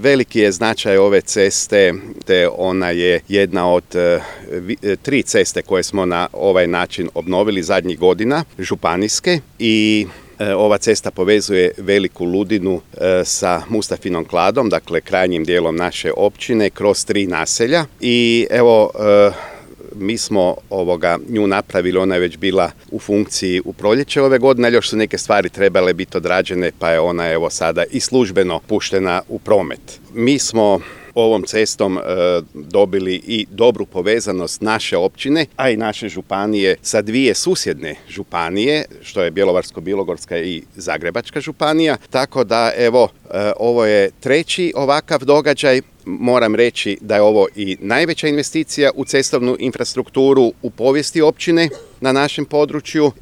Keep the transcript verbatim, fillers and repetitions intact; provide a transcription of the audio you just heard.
Veliki je značaj ove ceste, te ona je jedna od tri ceste koje smo na ovaj način obnovili zadnjih godina, županijske, i ova cesta povezuje Veliku Ludinu sa Mustafinom Kladom, dakle krajnjim dijelom naše općine, kroz tri naselja. I evo, mi smo ovoga nju napravili, ona je već bila u funkciji u proljeće ove godine, ali još su neke stvari trebale biti odrađene, pa je ona evo sada i službeno puštena u promet. Mi smo ovom cestom e, dobili i dobru povezanost naše općine, a i naše županije sa dvije susjedne županije, što je Bjelovarsko-bilogorska i Zagrebačka županija, tako da evo, e, ovo je treći ovakav događaj. Moram reći da je ovo i najveća investicija u cestovnu infrastrukturu u povijesti općine na našem području